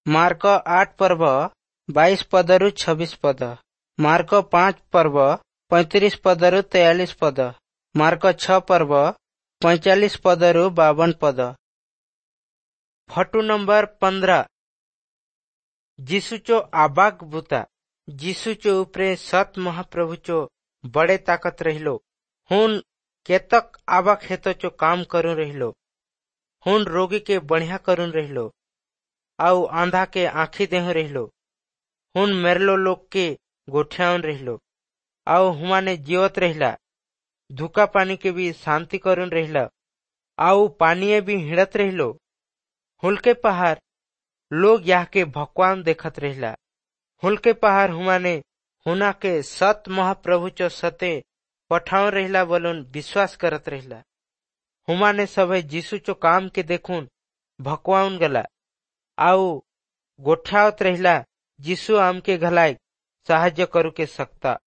Mark 8 ପର୍ବ 22 ପଦରୁ 26 ପଦ, ମାର୍କ 5 ପର୍ବ 35 ପଦରୁ 43 ପଦ, ମାର୍କ 6 ପର୍ବ 45 ପଦରୁ 52 ପଦ। Photo number 15, ଯୀଶୁଚୋ Abba ବୁତା। ଯୀଶୁଚୋ ଉପରେ ସତ୍ ମହାପ୍ରଭୁଚୋ ବଡ଼େ ତାକତ ରହିलो। हुन केतक आबक हेतोचो काम करून रहिलो। हुन रोगी के बढ़िया करून रहिलो आउ आंधा के आंखी देहु रहिलो। हुन मेरलो लोग के गोठियाउन रहिलो आउ हुमाने जीवत रहिला। धुका पानी के भी शांति करून रहिला आउ पानीये भी हिड़त रहिलो। हुलके पहाड़ लोग यह के भगवान देखत रहिला। हुलके पहाड़ हुमाने हुना के सत महाप्रभु चो सते पठाउन रहिला बोलून विश्वास करत रहिला। हुमाने सभे यीशु चो काम के देखून भकवाउन गला आउ गोठ्यावत रहिला, यीशु आमके घलाय साहाय्य करू के सकता।